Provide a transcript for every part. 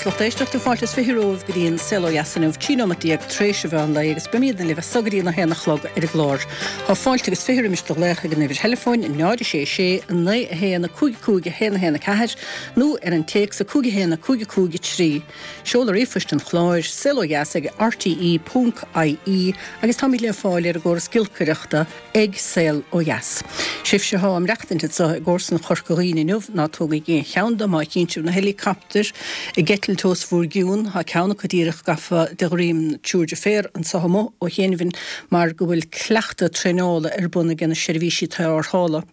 Agus lucht éisteachta, fáilte is 20 romhaibh go dtí an Saol Ó Dheas inniu, 13 nóimeat tar éis an mheán lae agus beimídne libh as so go dtí an 1 a chlog ar an gclár. Tá fáilte agus 20 roimis do ghlaoch ag an uimhir theileafóin 0 6 6 9 1 5 5 1 1 4 nó ar an téacs 5 1 5 5 3. Seoladh ríomhphoist an chláir, saolodheas ag rte ponc ie agus táimid le fáil ar an gcóras giolcaireachta ag Saol Ó Dheas. Sibhse athá ag maireachtaint anso i gcomharsanacht Chorca Dhuibhne inniu, ná tógaigí aon cheann de má chíonn sibh na heileacaptair ag eitilt os bhúr gcionn, tá ceann acu díreach gafa de dhroim triúr deirféar anso amuigh ó chianaibh mar go bhfuil cleachtadh traenála ar bun ag na seirbhísí tarrthála.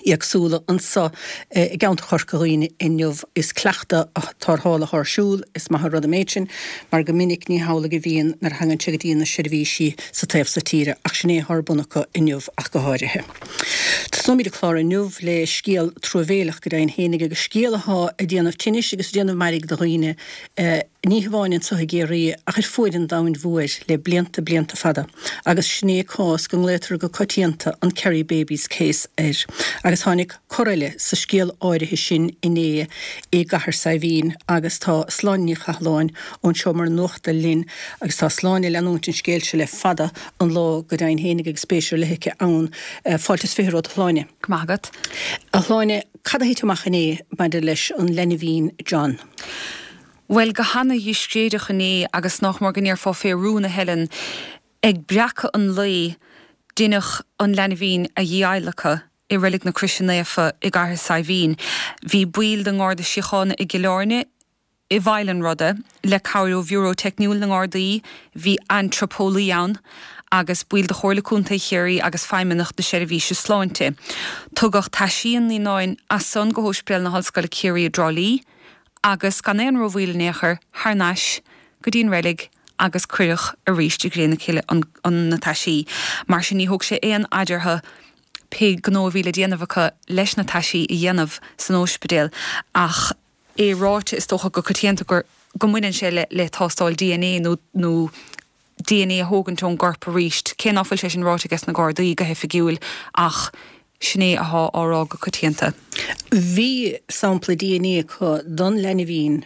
éagsúla anso i gceantar Chorca Dhuibhne inniu. Is cleachtadh tarrthála athá ar siúl, is maith an rud an méid sin, mar go minic ní hamhlaidh a bhíonn nuair a thagann sé go dtí na seirbhísí sa taobh so tíre, ach sin é athá ar bun acu inniu ach go háirithe. Tosnóimid an clár inniu le scéal truamhéileach go deimhin fhéinig agus scéal athá ag déanamh tinnis agus ag déanamh mairg do dhaoine, ní hamháin anso i gCiarraí ach ar fuaid an domhain mhóir le blianta, blianta fada, agus sin é cás go nglaotar go coitianta an Kerry Babies Case air. Agus tháinig cor eile sa scéal áirithe sin inné i gCathair Saidhbhín agus tá Sláine Ní Chathalláin ón seomra nuachta linn agus tá Sláine ag leanúint an scéil seo le fada an lá go deimhin fhéinig agus spéis ar leith aici ann. Fáilte is 20 romhat a Shláine. Go maith agat. A Shláine, cad a thit amach inné maidir leis an leinbhín John? Bhuel, go hana-dhiscréideach inné agus nách mór go ndéarfá fé rún a Helen, ag breacadh an lae, deineadh an leanbhín a dhí-adhlacadh i Reilig na Croise Naofa i gCathair Saidhbhín. Bhí baill den nGarda Síochána i gCill Airne i bhfeighil an ruda, le cabhair ó Bhiúró Teicniúil na nGardaí, bhí antraipeolaí ann, agus baill de Chomhairle Contae Chiarraí agus feidhmeannach na Seirbhíse Sláinte. Tugadh taisí an naíonáin as san go hÓispidéal na hOllscoile Ciarraí i dTrá Lí, agus gan aon rómhoill in aon chor, thar n-ais go dtí an reilig agus cuireadh arís i gcré na cille an na taisí. Mar sin ní thóg sé aon fhaid orthu pé gnó a bhí le déanamh acu leis na taisí a dhéanamh san óispidéal ach é ráite is dócha go coitianta gur go mbaineann sé le le tástáil dna nó nó dna a thógaint ón gcorp arís, cé ná fuil sé sin ráite ages na Gardaí go hoifigiúil ach sin é athá á rá go coitianta. Bhí sampla dna acu don leinbhín,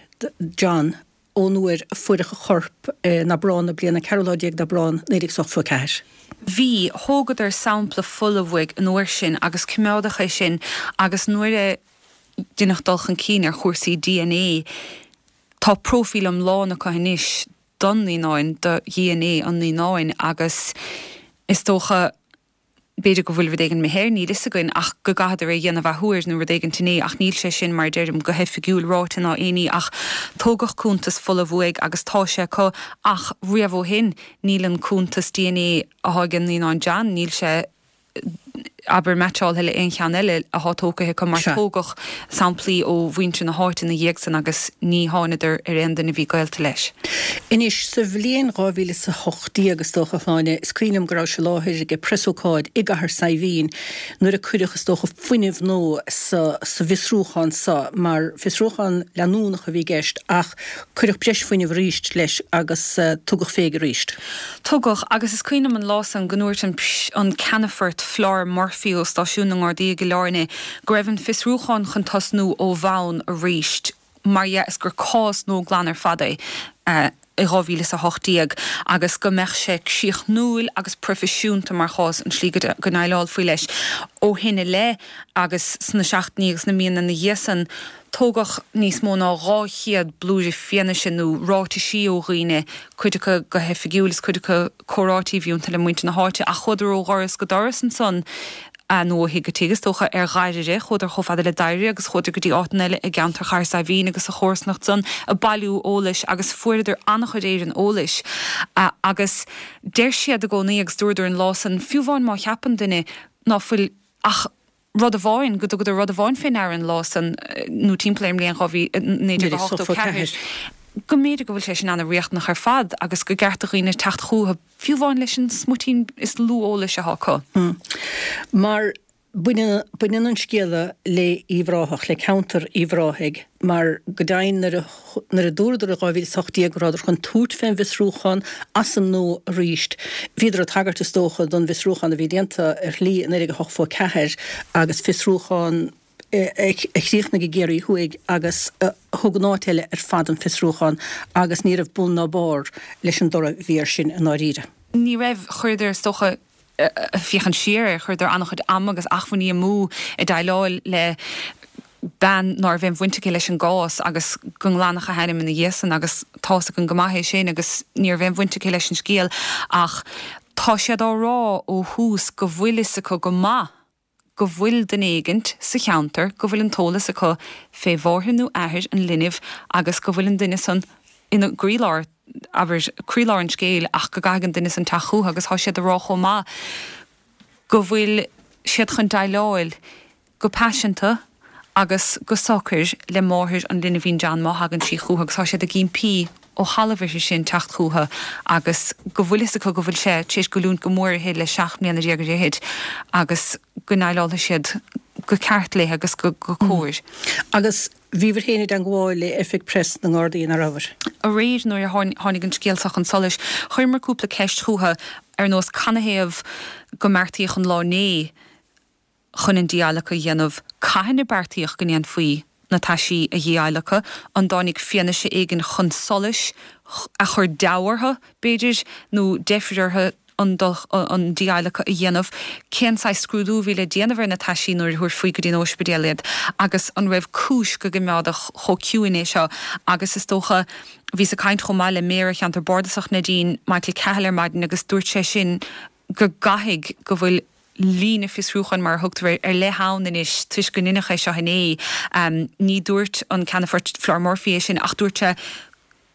John, ón uair a fuaireadh a chorp in Aibreán na bliana, ceathrú lá déag d'Aibreán, 1984. Bhí. Thógadar sampla fola uaidh an uair sin agus coimeádadh é sin agus nuair a deineadh dul chun cinn ar chúrsaí dna tá próifíl iomlán acu anois don naíonáin, do dna an naíonáin agus is dócha, b'fhéidir go bhfuil rud éigin imithe air, níl fhios againn ach go gcaitheadar é a dhéanamh athuair nó rud éigint inné ach níl sé sin, mar a deirim, go hoifigiúil ráite ná aon ní ach tógadh cuntas fola uaidh agus tá sé acu ach riamh ó shin níl an cuntas dna athá ag an naíonán John, níl sé. abair, meaitseáltha le aon cheann eile athá tógtha acu mar tógadh samplaí ó mhuintir na háite ina dhiaidh san agus ní thánadar ar aon duine a bhí gaolta leis. Anois, sa bhliain 2018, is dócha, a Shláine, is cuimhin liom go rabhais i láthair ag preasócáid i gCathair Saidhbhín nuair a cuireadh, is dócha, fuinneamh nua sa sa bhfiosrúchán so, mar fiosrúchán leanúnach a bhí i gceist ach cuireadh breis fuinnimh arís leis agus tugadh féig arís. Tugadh, agus is cuimhin liom an lá san go ndúirt an an Ceannfort Flor Murphy ó Stáisiún na nGardaí i gCill Airne go raibh an fiosrúchán chun tosnú ó bhonn arís, mar dhea is gur cás nua glan ar fad é i 2018 agus go mbeadh sé críochnúil agus proifisiúnta mar chás an tslí go ndéileálfaí leis ó shin i leith agus sna seachtainí agus na míonna ina dhiaidh san. Tógadh níos mó ná 200 blúire fianaise nó ráitisí ó dhaoine, cuid acu go hoifigiúil is cuid acu comhráití a bhí iontu le muintir na háite, ach chuadar ó dhoras go doras ansan, nó ó thigh go tigh is dócha, ar Dhairire, chuadar chomh fada le Dairire agus chuadar go dtí áiteanna eile i gceantar Chathair Saidhbhín agus sa chomharsanacht san ag bailiú eolais agus fuaireadar an-chuid éireann eolais. Agus deir siad i gcónaí agus dúradar an lá san, fiú amháin má cheapann duine ná fuil ach rud amháin, go dtugadar rud amháin fé ndeara an lá san, nó timpeall ar an mbliain 1984, go mb'fhéidir go bhfuil sé sin ana-riachtanach ar fad agus gur ceart do dhaoine teacht chúthu, fiú amháin leis an smuitín is lú eolais atá acu. Mar baineann, baineann an scéala le Uíbh Ráthach, le ceantar Uíbh Ráthaigh, mar go deimhin nuair a nuair a dúradar i 2018 go rabhadar chun tabhairt fén bhfiosrúchán as an nua arís, bhíodar ag tagairt is dócha don bhfiosrúchán a bhí déanta ar shlí i 1984 agus fiosrúchán. a chríochnaigh i gCiarraí Thuaidh agus a thug in áit eile ar fad an fiosrúchán agus ní raibh bun ná barr leis an dtoradh a bhí air sin i ndáiríre. Ní raibh. Chuireadar, is dócha, féachaint siar air, chuireadar an-chuid ama agus achmhainní amú ag déileáil le bean ná raibh aon bhaint aici leis an gcás agus go nglanfadh a hainm ina dhiaidh san agus tá's againn go maith é sin agus ní raibh aon bhaint aici leis an scéal ach tá siad á rá ó thús go bhfuil fhios acu go maith go bhfuil duine éigint sa cheantar go bhfuil an t-eolas acu fé mháthair nó athair an linbh agus go bhfuil an duine san ina gcroílár, abair, croílár an scéil ach go gcaithfidh an duine san teacht chúthu agus tá siad a rá chomh maith go bhfuil siad chun déileáil go paiseanta agus go socair le máthair an linbhín John má thagann sí chúthu agus tá siad ag impí ó thalamh uirthi sin teacht chúthu agus go bhfuil fhios acu go bhfuil sé tar éis goilliúint go mór uirthi le 17 mbliana ar fhichid agus go ndéileálfaidh siad go ceart léi agus go cóir. Agus bhíobhair féin i dteangmháil le Oifig Preas na nGardaí, an rabhair? Aréir nuair a tháinig an scéal seo chun solais, chuireamar cúpla ceist chúthu ar nós canathaobh go mbeartaíodh an lá inné chun an dí-adhlacadh a dhéanamh, cathain a beartaíodh go ndéanfaí na taisí a dhí-adhlacadh, an dtáinig fianaise éigin chun solais a chuir deabhadh orthu, b'fhéidir, nó deifir orthu an an dí-adhlacadh a dhéanamh, cén saghas scrúdú a bhí le déanamh ar na taisí nuair a thabharfaí go dtí an óispidéal iad, agus an raibh cúis go gcoimeádfadh chomh ciúin é seo, agus is dócha, bhíos ag caint chomh maith le Méara Cheantar Bardasach Neidín, Michael Cahill ar maidin agus dúirt sé sin go gcaithfidh go bhfuil líne fiosrúcháin, mar a thugtar air, ar leith ann anois toisc go ndeineadh é seo inné. Ní dúirt an Ceannfort Flor Murphy é sin ach dúirt sé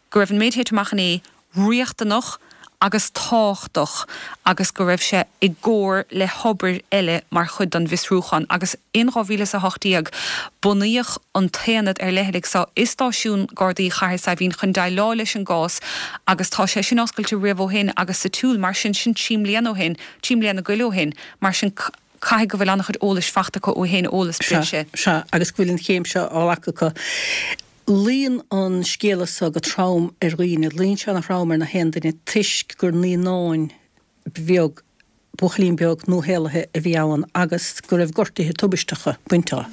go raibh an méid a thit amach inné riachtanach agus tábhachtach agus go raibh sé i gcomhar le hobair eile mar chuid den bhfiosrúchán. Agus in 2018 bunaíodh an t-aonad ar leithligh seo i stáisiún Gardaí Chathair Saidhbhín chun déileáil leis an gcás agus tá sé sin oscailte riamh ó shin agus sa tsiúl mar sin, sin 3 mbliana ó shin. 3 mbliana go leith ó shin, mar sin caithfidh go bhfuil an-chuid eolais fachta acu ó shin, eolas breise. Sea, agus go bhfuil an chéim seo á ghlacadh acu. Luíonn an scéala seo go trom ar dhaoine, luíonn sé ana-throm ar na haon duine toisc gur naíonáin bheag, buachaillín beag nuashaolaithe a bhí ann agus go raibh gortuithe tubaisteacha bainte dó.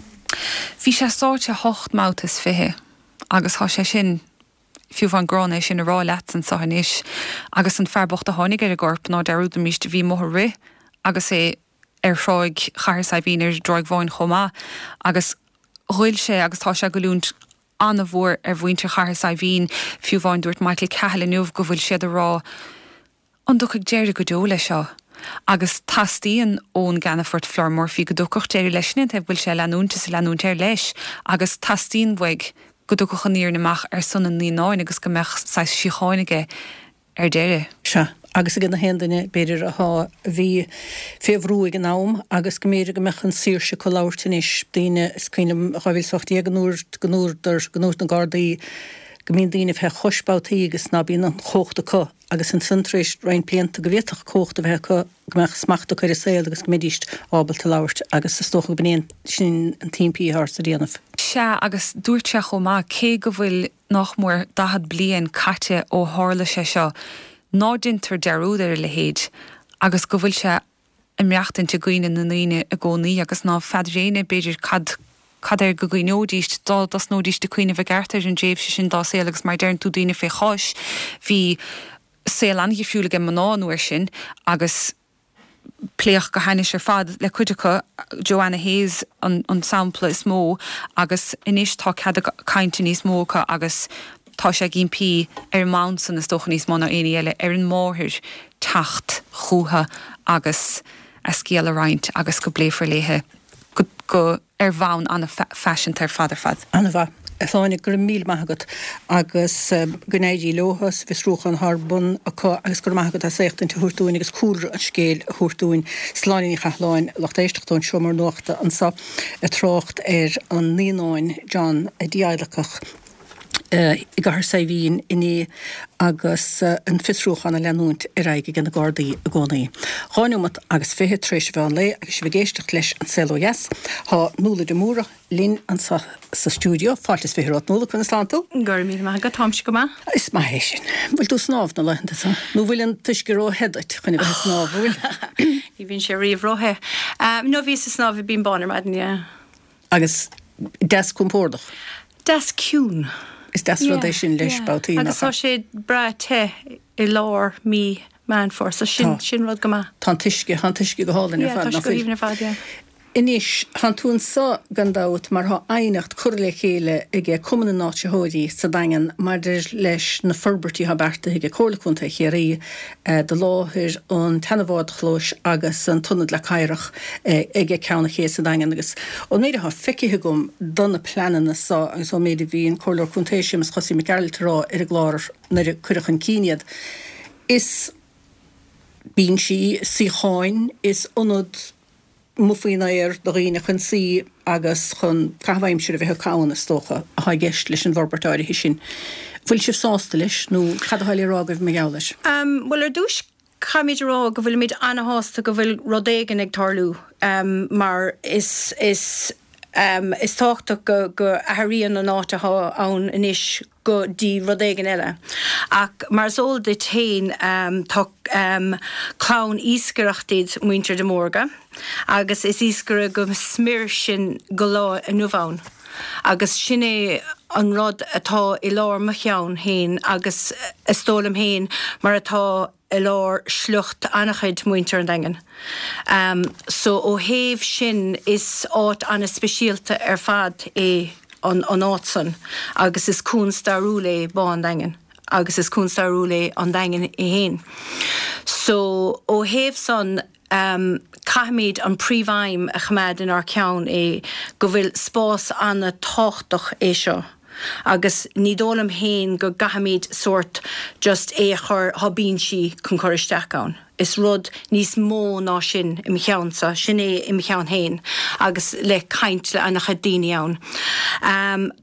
Bhí sé sáite hocht mbabhta is 20 agus tá sé sin Fiú amháin gránna é sin a rá leatsa anseo anois. Agus an fear bocht a tháinig ar an gcorp, ná dearúdaimis, bhí amuigh ag rith agus é ar thráigh Chathair Saidhbhín, ar an dTráigh Bháin chomh maith. Agus ghoill sé agus tá sé ag goilliúint an-mhór ar mhuintir Chathair Saidhbhín. Fiú amháin dúirt Michael Cahill inniu go bhfuil siad ag rá, An dtiocfaidh deireadh go deo leis seo? Agus teastaíonn ón gCeannfort Flor Murphy go dtiocfadh deireadh leis sin, an taobh go bhfuil sé ag leanúint is ag leanúint air leis agus teastaíonn uaidh go dtiocfadh an fhírinne amach ar son an naíonáin agus go mbeadh saghas síocháin aige ar deireadh. Sea, agus ag na haon duine, b'fhéidir, athá, a bhí fé bhrú ag an am agus go mb'fhéidir go mbeadh an saoirse acu labhairt anois, daoine, is cuimhin liom 2018 an uair go ndúradar, go ndúirt na Gardaí go mbíonn daoine fé chois babhtaí agus ná bíonn an chumhacht acu. agus ansan tar éis roinnt blianta go bhféadfadh cumhacht a bheith acu, go mbeadh smacht acu ar a saol agus go mbeidíst ábalta labhairt agus is dócha go b'in é sin an t-impí atá ort a dhéanamh. Sea, agus dúirt sé chomh maith, cé go bhfuil nach mór 40 bliain caite ó tharla sé seo, ná deintear dearúd ar a leithéid agus go bhfuil sé ag maireachtaint i gcuimhne na ndaoine i gcónaí agus ná feadar éinne, b'fhéidir, cad cad air go gcuimhneoidíst dá dtosnóidíst ag cuimhneamh i gceart ar an dtréimhse sin dá saol agus mar a deireann tú daoine fé chois, bhí saol an-dhifriúil ag mná an uair sin agus pléadh go hainnis ar fad le cuid acu, Joanna Hayes an an sampla is mó agus anois tá cead cainte níos mó acu agus Tá sé ag impí ar an mbonn san, is dócha níos mó ná éinní eile, ar an máthair teacht chúthu agus a scéal a roinnt agus go bpléifear léithe go, go, ar bhonn an-phaiseanta ar fad ar fad. An-mhaith. A Shláine, go raibh míle maith agat agus go n-éirí leo sa bhfiosrúchán atá ar bun acu agus go raibh maith agat as éachtaint a thabhairt dúinn agus cúlra an scéil a thabhairt dúinn. Sláine Ní Chathalláin, lucht éisteachta ón Seomra Nuachta anseo ag trácht ar an naíonáin John a dí-adhlacadh i gCathair Saidhbhín inné agus an fiosrúchán ag leanúint ar aghaidh ag na Gardaí i gcónaí. 2 neomat agus 20 tar éis an mheán lae agus sibh ag éisteacht leis An Saol Ó Dheas. Tá Nuala de Mórdha linn anseo sa stiúideo. Fáilte is 20 romhat Nuala, conas tánn tú? Go raibh míle maith agat, táimse go maith. Is maith é sin. Bhfuil tú ag snámh na laethanta seo? Nó bhfuil an t-uisce ró-the duit chun a bheith ag snámh, an bhfuil? Ní bhíonn sé riamh ró-the. No, bhíos ag snámh i Binn Bán ar maidin, yeah. Agus deas compordach. Deas ciúin. Is deas rud é sin leis babhtaí, nach ea? Agus tá sé breá te i lár mí Meán Fómhair, so sin, sin rud go maith. Tá an t-uisce, tá an t-uisce go hálainn ar fad, nach bhfuil? Yeah, tá sé go haoibhinn ar fad, yeah. Anois, thánn tú anso gan dabht mar thá aighneacht curtha le chéile aige Cumann na nÁitritheoirí sa Daingean maidir leis na forbairtí athá beartaithe aige Comhairle Contae Chiarraí do láthair an tseana-bhádchlóis agus an t-ionad Leac Oighreach aige Ceann an Ché sa Daingean agus ón méid athá feicithe agam do na pleananna so agus ón méid a bhí an Comhairleoir Contae Séamus Chosaí Mac Gearailt a rá ar an gclár nuair a cuireadh chun cinn iad is binsí, suíocháin, is ionad amuigh faoin aer do dhaoine chun suí agus chun caitheamh aimsire a bheith acu ann, is dócha, atá i gceist leis an bhforbairt áirithe sin. Bhfuil sibh sásta leis nó cad atá le rá agaibh mar gheall air? Bhuel, ar dtús, caithfimid a rá go bhfuilimid ana-shásta go bhfuil rud éigin ag tarlú mar is is is tábhachtach go go athraíonn an áit atá ann anois go dtí rud éigin eile. Ach mar is eol duit féin tá clann iascaireachta iad muintir de Mórdha agus is iascaire go smior sinn go lá inniu ann. Agus sin é an rud atá i lár mo cheann féin agus is dóigh liom féin mar atá i lár sliocht an-chuid muintir an Daingin. So ó thaobh sin is áit an-speisialta ar fad é an áit san agus is cuan stairiúil é Bá an Daingin agus is cuan stairiúil é an Daingean é féin. So ó thaobh san caithfimid an príomhaidhm a choimeád inár ceann é go bhfuil spás an-tábhachtach é seo. Agus ní dóigh liom féin go gcaithfimid sórt just é a chur, thá binsí chun cur isteach ann. Is rud níos mó ná sin i mo cheannsa, sin é i mo cheann féin agus le caint le ana-chuid daoine ann.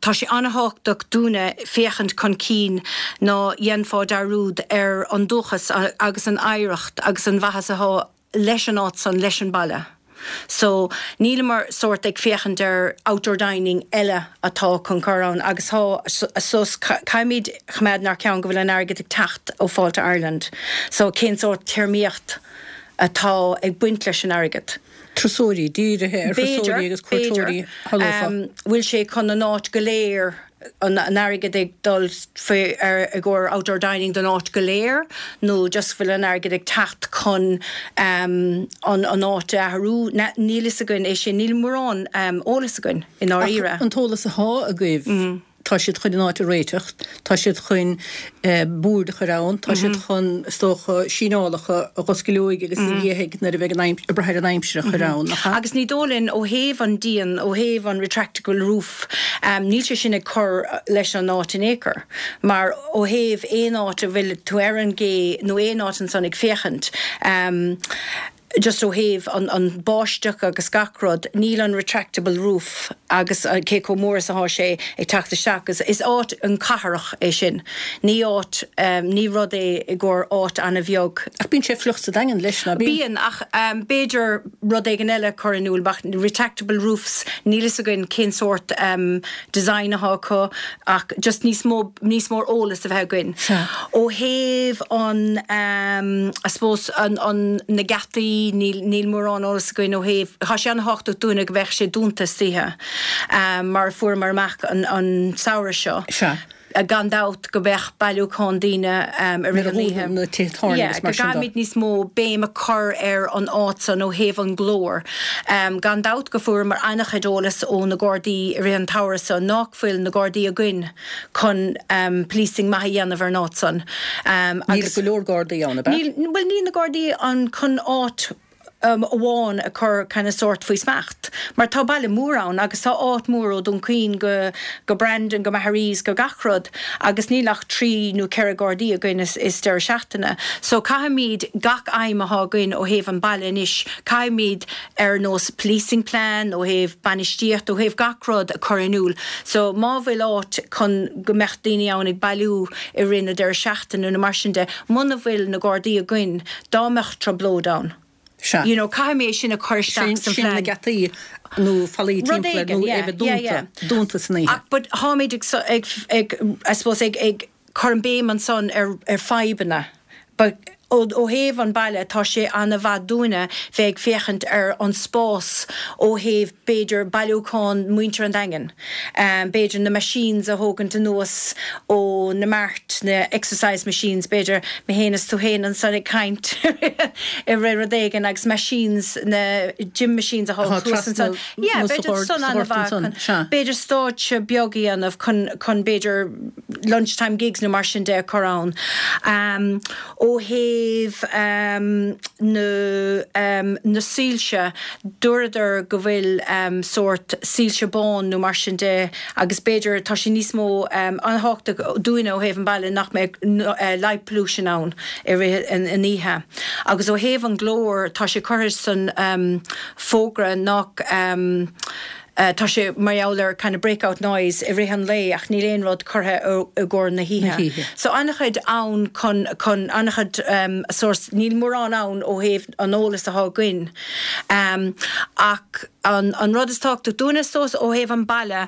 Tá sé ana-thábhachtach dúinne féachaint chun cinn ná dhéanfá dearúd ar an dúchas agus an oidhreacht agus an mhaitheas athá leis an áit san, leis an baile. So, níleamar sórt ag féachaint ar outdoor dining eile atá chun cur ann agus thá, so caithfimid choimeád inár ceann go bhfuil an airgead ag teacht ó Fáilte Ireland. So, cén sórt téarmaíocht atá ag baint leis an airgead? Turasóirí, dírithe ar thurasóirí agus cuairteoirí, shamhlófá. Bhfuil sé chun an áit go léir an airgead ag dul faoi ar i gcomhair outdoor dining don áit go léir nó just bhfuil an airgead ag teacht chun an an áit a athrú? Níl fhios againn é sin, níl mórán eolas againn i ndáiríre. Ach an t-eolas athá agaibh, tá siad chun an áit a réiteach, tá siad chun boird a chur ann, tá siad chun, is dócha, síneálacha a dh'oscaileoidh agus a dhíothaidh nuair a bheidh an aimsir, ag brath ar an aimsir a chur ann, nach ea? Agus ní dóigh linn, ó thaobh an díon, ó thaobh an retractable roof, Níl sé sin ag cur leis an áit in aon chor, mar ó thaobh aon áit a bhfuil tú ar an gcé nó aon áit ansan ag féachaint, just ó thaobh an báisteach agus gach rud, níl an retractable roof agus cé chomh mór is atá sé ag teacht isteach agus is áit an cathrach é sin, ní áit, ní rud é i gcomhair áit an-bheag. Ach bíonn sé fliuch sa Daingean leis, ná bíonn? Bíonn, ach b'fhéidir rud éigin eile a chur in iúl, ach retractable roofs, níl fhios againn cén sórt design atá acu ach just níos mó, níos mór eolas a bheith againn. Sea. Ó thaobh an I suppose an, an, na geataí, níl, níl mórán eolas againn ó thaobh, tá sé an-thábhachtach dúinne go mbeadh sé dúnta istoíche mar a fuaireamar amach an, an samhradh seo. Sea. Gan dabht go mbeadh bailiúchán daoine i rith an oíche. Na tithe tábhairne agus mar sin de. Go gcaithfimid níos mó béim a chur ar an áit san ó thaobh an glór. Gan dabht go fuaireamar an-chuid eolas ó na Gardaí i rith an tsamhraidh so nách fuil na Gardaí againn chun policing maith a dhéanamh ar an áit san. Níl go leor Gardaí ann, ab ea? Níl, bhuel níl na Gardaí ann chun áit amháin a chur kind of sórt faoi smacht. Mar tá baile mór ann agus tá áit mór ó Dún Chaoin go go Brandon go Maharees go gach rud agus níl ach 3 nó 4 Gardaí againn is is deireadh seachtaine. So caithfimid gach aidhm athá againn ó thaobh an baile anois, caithfimid ar nós policing plan, ó thaobh bainistíocht, ó thaobh gach rud a chur in iúl. So má bhfuil áit chun go mbeadh daoine ann ag bailiú i rith na deireadh seachtaine nó mar sin de, muna bhfuil na Gardaí againn, Dá mbeadh trioblóid ann. Sea. You know, caithfidh mé é sin a chur isteach Sin, san sin na phlean. geataí nó fallaí Rud timpeall air éigin, nó yeah, é bheith yeah, dúnta, yeah. dúnta san oíche. Ach, but tháimid ag, ag, ag, I suppose, ag, ag cur an béim ansan ar, ar fadhbanna. But. Ó thaobh an baile, tá sé ana-mhaith dúinne bheith ag féachaint ar an spás ó thaobh, b'fhéidir, bailiúchán muintir an Daingin, b'fhéidir na machines a thógaint anuas ó na mart, na exercise machines, b'fhéidir, mé féin is tú féin ansan ag caint i rith rud éigin agus machines, na gym machines atá thuas ansan. Yeah, b'fhéidir san ana-mhaith chun, b'fhéidir stáitse beag a dhéanamh chun, chun b'fhéidir, lunchtime gigs nó mar sin de a chur ann. Ó thaobh na soilse, dúradar go bhfuil sórt soilse bán nó mar sin de agus b'fhéidir tá sé níos mó an-thábhachtach dúinne ó thaobh an baile nach mbeadh light pollution ann i rith an oíche. Agus ó thaobh an glór, tá sé curtha san fógra nach. Tá sé mar gheall ar kind of breakout noise i rith an lae ach níl aon rud curtha i gcomhair na hoíche. So an-chuid ann chun, chun, an-chuid sórt, níl mórán ann ó thaobh an eolas atá againn. Ach an, an rud is tábhachtach dúinne is dóigh ó thaobh an baile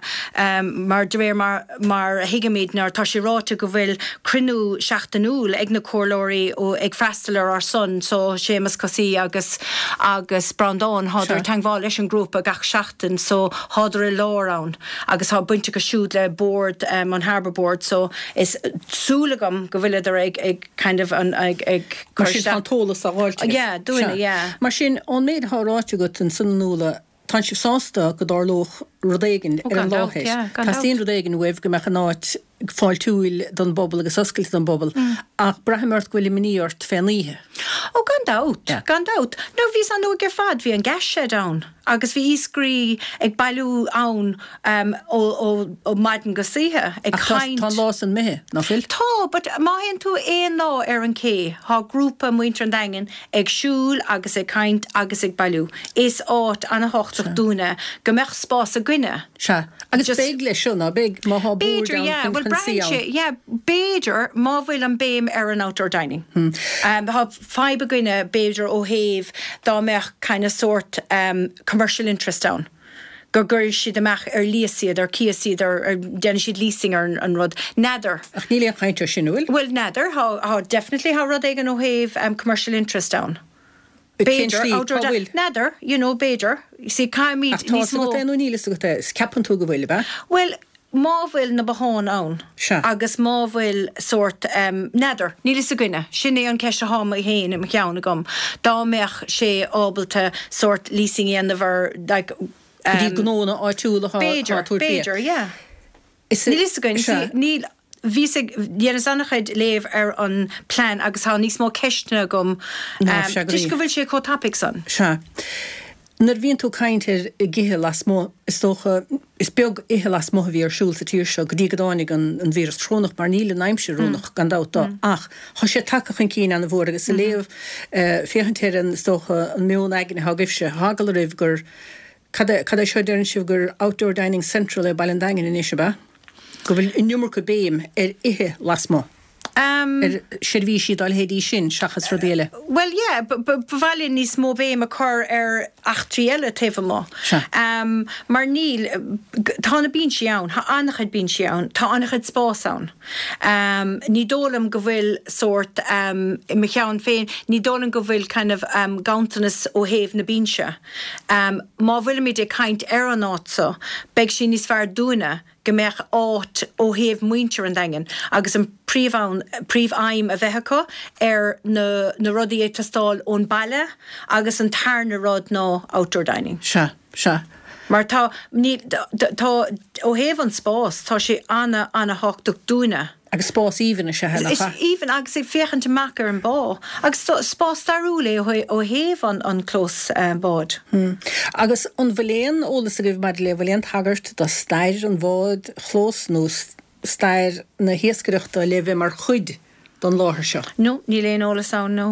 mar de réir mar, mar a thuigimid ná tá sé ráite go bhfuil cruinniú seachtainiúil ag na comhairleoirí ó, ag freastal ar ár son so Séamus Cosaí agus, agus Breandán, thádar ag teangmháil leis an grúpa gach seachtain so thádar i lár ann agus tá baint acu siúd le bord an Harbour Board so is súil agam go bhfuileadar ag ag kind of an ag ag cur Mar sin tá an t-eolas á fháilt agat. Yeah, dúinne, yeah. Mar sin, ón méid atá ráite agat ansan a Nuala, tánn sibh sásta go dtarlódh rud éigin Oh ar gan an dabht, láthair. yeah, gan dabht. Teastaíonn rud éigin uaibh go mbeadh an áit fáiltiúil don bpobal agus oscailte don bpobal ach braithim ort go bhfuil imní ort fén oíche. Ó gan dabht, Yeah. gan dabht. Now bhíos an-óg ar fad, bhí an gas shed ann agus bhí iascairí ag bailiú ann um, ó, ó, ó maidin go hoíche ag Ach tá, caint. tá an lá san imithe, nach bhfuil? Tá, but má théann tú aon lá ar an cé, tá grúpa muintir an Daingin ag siúl agus ag caint agus ag bailiú. Is áit an-thábhachtach dúinne go mbeadh spás againne. Sea. Agus Just. beidh leis seo, ná beidh, má thá bord B'fhéidir, ann yeah. chun Bhuel, chun suí braitheann sé, ann. yeah, b'fhéidir, má bhfuil an béim ar an outdoor dining. Tá fadhb againne, b'fhéidir, ó thaobh dá mbeadh kind of sórt commercial interest ann, go gcuirfidh siad amach ar líos iad, ar cíos iad, ar, ar, déanfaidh siad leasing ar an rud. N'fheadar. Ach níl aon chaint ar sin, an bhfuil? Bhuel, n'fheadar. Tá, tá, definitely, tá rud éigin ó thaobh commercial interest ann. Cén B'fhéidir, slí? outdoor Cá bhfuil? N'fheadar, you know, b'fhéidir. You see, caithfimid Ach tá níos fhios mó. agat é nó níl fhios agat é? Is ceapann tú go bhfuil, ab ea? Bhuel, má bhfuil na botháin ann Sea. agus má bhfuil sórt, n'fheadar, níl fhios againne, sin é an ceist athá mé féin i mo cheann agam, dá mbeadh sé ábalta sórt leasing a dhéanamh ar like, Go dtí gnóanna áitiúla atá B'fhéidir, ag tabhairt bia. b'fhéidir, yeah. Is Níl fhios againn, Sea. see, níl, bhíos ag, dheineas an-chuid léamh ar an plean agus tá níos mó ceisteanna agam Ná, sea, go toisc go dtí. bhfuil sé chomh tapaidh san. Sea. Nuair a bhíonn tú ag caint ar ag ithe lasmuigh, is dócha, is beag ithe lasmuigh a bhí ar siúl sa tír seo go dtí go dtáinig an an víreas corónach, mar níl an aimsir oiriúnach, gan dabht dó, ach tá sé tagtha chun cinn ana-mhór agus ag léamh, féachaint ar an, is dócha, an meon aigne atá agaibhse, tá eagla oraibh gur, cad é, cad é seo a deireann sibh, gur outdoor dining central é Baile an Daingin anois, ab ea? Go bhfuil an iomarca béim ar ithe lasmuigh. ar seirbhísí dá leithéidí sin seachas rudaí eile. Bhuel, yeah, ba mhaith linn níos mó béim a chur ar eachtraí eile taobh amuigh. Sea. Mar níl, tá na binsí ann, tá an-chuid binsí ann, tá an-chuid spás ann. Ní dóigh liom go bhfuil sórt, i mo cheann féin, ní dóigh liom go bhfuil kind of ganntanas ó thaobh na binse. Má bhfuilimid ag caint ar an áit so, beidh sé níos fearr dúinne go mbeadh áit ó thaobh muintir an Daingin agus an príomh príomh-fheidhm a bheith acu ar na na rudaí ag teastáil ón baile agus an tarna rud ná outdoor dining. Sea, sea. Mar tá, ní, tá, ó thaobh an spás, tá sé ana, ana-thábhachtach dúinne. Agus spás aoibhinn is ea é, nach Is ea? aoibhinn agus ag féachaint amach ar an bá. Agus spás stairiúil é ó thaobh an clós báid. Agus an bhfuil aon eolas agaibh maidir le, bhfuil aon tagairt do stair an bháid chlós nó stair na hiascaireachta le bheith mar chuid den láthair seo? No, níl aon eolas ann, no.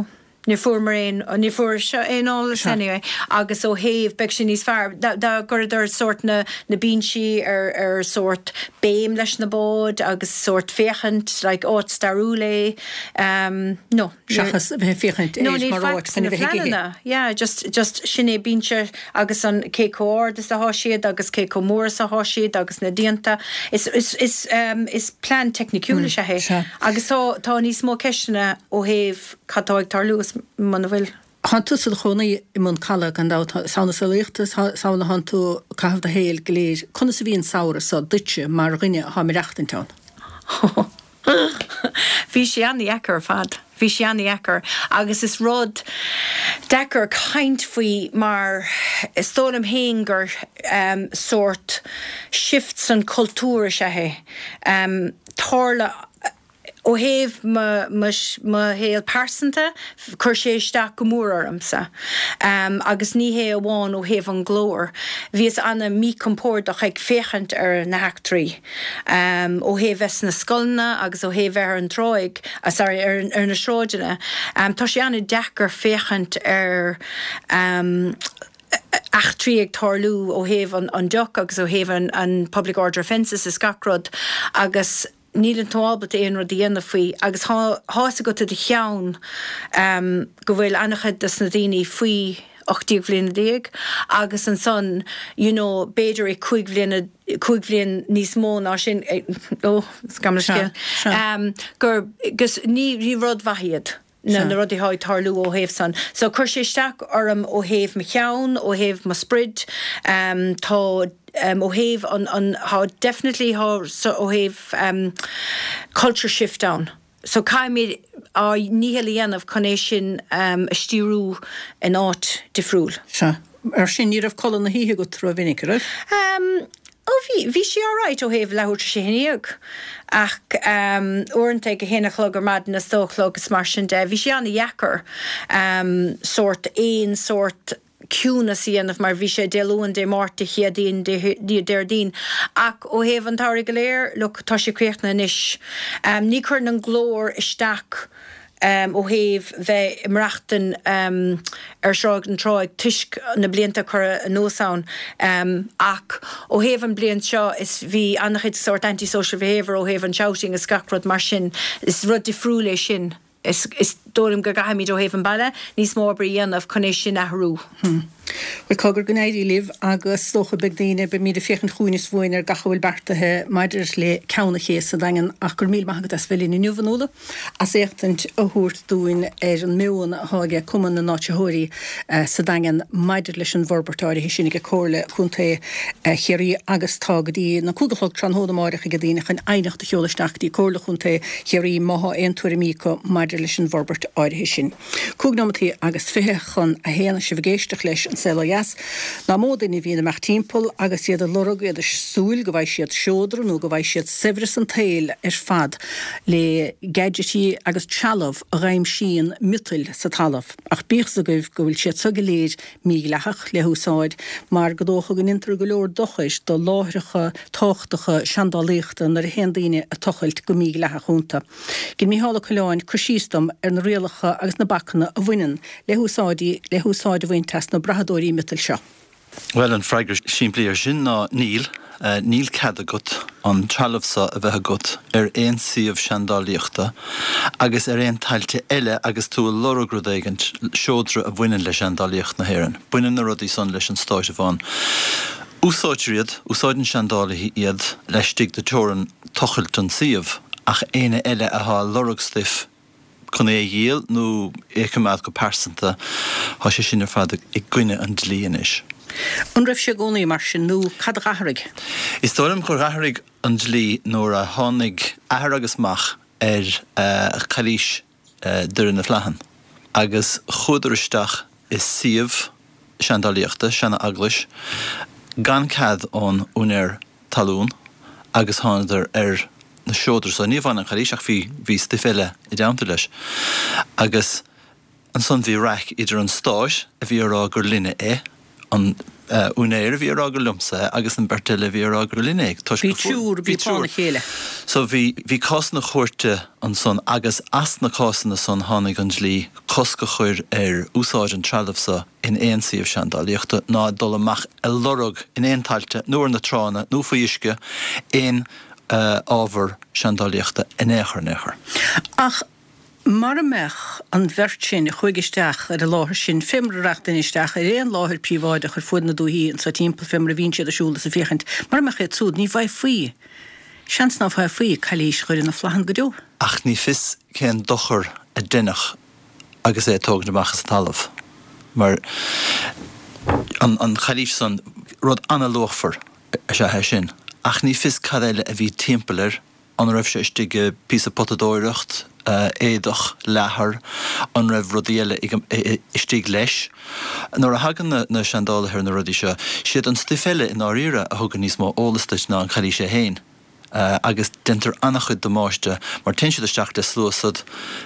Níor fuaireamar aon, níor fuair seo aon eolas anyway agus ó thaobh, beidh sé níos fearr dá gcuireadar sórt na, na binsí ar, ar sórt béim leis na báid agus sórt féachaint like áit stairiúil é no. Seachas a bheith ag féachaint air mar áit chun a bheith ag ithe. Yeah just, just sin é binse agus an cé chomh ard is athá siad agus cé chomh mór is athá siad agus na díonta. Is, is, is, is plean teicniciúil is ea é agus tá, tá níos mó ceisteanna ó thaobh Cad tá ag tarlú is muna bhfuil? Thánn tusa i do chónaí i mBun Calaidh, gan dabht. Is ann is eolaíochta, is ann a thánn tú ag caitheamh do shaoil go léir. Conas a bhí an samhradh so duitse mar dhuine athá ag maireachtaint ann? Bhí sé an-dheacair ar fad. Bhí sé an-dheacair agus is rud deacair caint faoi mar is dóigh liom féin gur sórt shift san cultúr is ea é. Tharla. Ó thaobh mo shaol pearsanta, chuir sé isteach go mór ormsa. Agus ní hé amháin ó thaobh an ghlóir. Bhíos ana-mhíchompordach ag féachaint ar na heachtraí. Ó thaobh bheith sna scoileanna agus ó thaobh bheith ar an dtráigh, sorry, ar na sráideanna. Tá sé ana-deacair féachaint ar eachtraí ag tarlú ó thaobh an deoch agus ó thaobh an public order offences is gach rud agus níleann tú ábalta aon rud a dhéanamh faoi agus thá fhios agat i do cheann go bhfuil an-chuid dos na daoine faoi 18 bhliana déag agus ansan you know b'fhéidir i 5 bhliana, 5 bhliain níos mó ná sin, ó, gabh mo leithscéal, gur, gus ní, ní rud mhaith iad. na rudaí atá ag tarlú ó thaobh san. So chuir sé isteach orm ó thaobh mo cheann, ó thaobh mo sprid, tá ó thaobh an, an, tá definitely tá so ó thaobh culture shift ann. So caithfimid ár ndícheall a dhéanamh chun é sin a stíriú in áit difriúil. Sea. Mar sin ní raibh codladh na hoíche agat rómhinic, an raibh? Ó bhí, bhí sé alright ó thaobh leathuair tar éis a 11 ach uaireanta ag a haon a chlog ar maidin is dó a chlog is mar sin de, bhí sé an-dheacair sórt aon sórt ciúnas a dhéanamh mar bhí sé Dé Luain, Dé Máirt, Dé Céadaoin, Dé Déardaoin ach ó thaobh an tsamhraidh go léir, look, tá sé críochnaithe anois. Ní chuireann an glór isteach ó thaobh bheith ag maireachtain ar Shráid an Tráigh toisc na blianta a cuireadh anuas ann ach ó thaobh an bliain seo is bhí an-chuid sórt anti-social behaviour ó thaobh an shouting is gach rud mar sin. Is rud difriúil é sin. Is dóigh liom go gcaithfimid ó thaobh an baile níos mó obair a dhéanamh chun é sin athrú. Bhuel, cogar go n-éirí libh agus is dócha beidh daoine, beimid ag féachaint chugainn is uainn ar gach a bhfuil beartaithe maidir le Ceann an Ché sa Daingean ach go raibh míle maith agat as bheith linn inniu, a Fhionnuala, as éachtaint a thabhairt dúinn ar an meon atá aige Cumann na nÁitritheoirí sa Daingean maidir leis an bhforbairt áirithe sin ag Comhairle Contae Chiarraí agus tá go dtí na 5 a chlog tráthnóna amáireach ag daoine chun aighneacht a sheoladh isteach go dtí Comhairle Chontae Chiarraí má thá aon tuairimí acu maidir leis an bhforbairt áirithe sin. Cúig nóimeataí agus 12:40 agus sibh ag éisteacht leis An Saol Ó Dheas. Nach mó duine a bhíonn amach timpeall agus iad ag lorg, iad ag súil go bhfaighidh siad seodra nó go bhfaighidh siad saibhreas an tsaoil ar fad le gadgetí agus trealamh a dh'aimsíonn miotail sa talamh. Ach bíodh 's agaibh go bhfuil siad so go léir mídhleathach le húsáid mar gur dócha go ndéantar go leor dochair do láithreacha tábhachtacha seandálaíochta nuair a théann daoine ag tochailt go mídhleathach iontu. Dhein Mícheál Ó Coileáin cur síos dom ar na rialacha agus na bacanna a bhaineann le húsáidí le húsáid a bhaint as na brathadóirí miotail seo. Bhuel, an freagra simplí air sin ná níl. Níl cead agat an trealamh seo a bheith agat ar aon suíomh seandálaíochta agus ar aon tailte eile agus tú ag lorg rud éigint, seodra a bhaineann le seandálaíocht na hÉireann. Baineann na rudaí san leis an Stát amháin. Úsáidtear iad, úsáideann seandálaithe iad laistigh de teorainn tochailt an tsuímh, ach éinne eile athá ag lorg stuif chun é a dhíol nó é a choimeád go pearsanta, thá sé sin ar fad i gcoinne an dlí anois. An raibh sé i gcónaí mar sin nó cad a dh'athraigh? Is dóigh liom gur dh'athraigh an dlí nuair a tháinig athair agus mac ar chailís Doire na Flathann agus chuadar isteach i suíomh seandálaíochta, seana-eaglais, gan cead ón úinéir talún agus thánadar ar na seodra so. Ní amháin an chailís ach bhí, bhí stuif eile i dteannta leis. Agus ansan bhí raic idir an Stát a bhí a rá gur linne é, an. úinéir a bhí ag rá gur liomsa é agus an bheirt eile a bhí ag rá gur linn é toisc Bhí triúr a bhí fána chéile. So bhí, bhí cásanna chúirte ansan agus as na cásanna san tháinig an dlí cosc a chur ar úsáid an trealaimh so in aon suíomh seandálaíochta ná dul amach a lorg in aon tailte nó ar na tránna nó faoi uisce aon ábhar seandálaíochta in aon chor in aon chor. Ach mara mbeadh an bheirt sin a chuaigh isteach ar an láthair sin, fé mar a rachadh duine isteach ar aon láthair príobháideach ar fuaid na dúichí anso timpeall, fé mar a bhíonn siad ag siúl is ag féachaint, mara mbeadh iad súd, ní bhfaighfí, seans ná faighfí cailís Dhoire na Flathann go deo. Ach ní fios cén dochar a deineadh agus é a tógaint amach as an talamh, mar an chailís san, rud ana-luachmhar is ea é sin, ach ní fios cad eile a bhí timpeall air, an raibh sé istigh i bpíosa potadóireacht, éadach, leathar, an raibh rudaí eile istigh leis. Nuair a thagann na seandálaithe ar na rudaí seo, siad an stuif eile i ndáiríre a thugann níos mó eolas duit ná an chailís é féin. Agus déantar an-chuid damáiste mar téann siad isteach le sluasad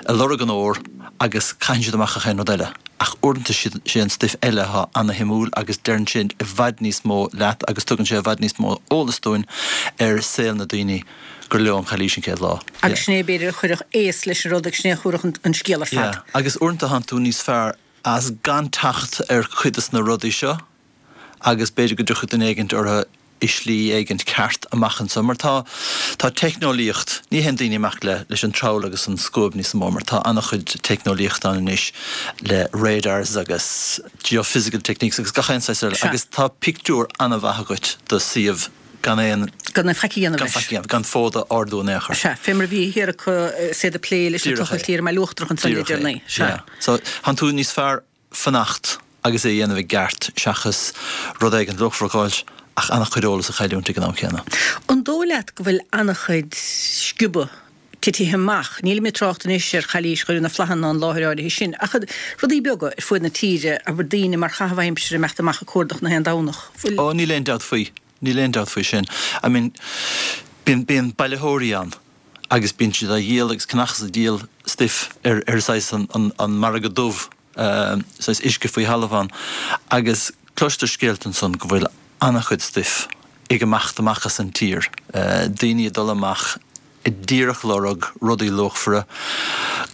ag lorg an ór agus caitheann siad amach gach aon rud eile. Ach uaireanta sé an stuif eile atá ana-shuimiúil agus deireann sé i bhfad níos mó leat agus tugann sé i bhfad níos mó eolas dúinn ar saol na daoine gur leo an chailís an chéad lá. Agus sin é b'fhéidir a chuirfeadh aos leis an rud agus sin é a thabharfadh an scéal ar fad. Yeah. Agus uaireanta tánn tú níos fearr as gan teacht ar chuid des na rudaí seo agus b'fhéidir go dtiocfaidh duine éigint orthu i slí éigint ceart amach anseo mar tá, tá teicneolaíocht, ní théann daoine amach le, leis an trabhal agus an scuab níos mó mar tá an-chuid teicneolaíocht ann anois le radars agus geophysical techniques agus gach aon saghas eile agus tá pictiúr an-mhaith agat do suíomh gan aon, Gan aon faic a dhéanamh gan leis. faic a dhéanamh, gan fód a ardú in aon chor. Sea, fé mar a bhí thiar acu is iad ag plé leis an Díreach é. tochailt thiar i mBaile Uachtarach ansan le Díreach é. deireanaí. Sea. Yeah. So, tánn tú níos fearr fanacht agus é a dhéanamh i gceart seachas rud éigin luachmhar a dh'fháilt ach an-chuid eolas a chailliúint ag an am céanna. An dóigh leat go bhfuil an-chuid sciobadh titithe amach, nílim ag trácht anois ar chailís Dhoire na Flathann ná an láthair áirithe sin, ach rudaí beaga ar fuaid na tíre, abair daoine mar chaitheamh aimsire imeacht amach ag cuardach na haon Domhnach, bhfuil. Ó, níl aon dabht faoi. Níl aon dabht faoi sin. I mean, bíonn, bíonn bailitheoirí ann agus bíonn siad á dhíol agus ceannach is ag díol stuif ar, ar saghas an, an, an margadh dubh. saghas uisce faoi thalamh ann agus cloistear scéalta ansan go bhfuil an-chuid stuif ag imeacht amach as an tír, daoine ag dul amach ag díreach lorg rudaí luachmhara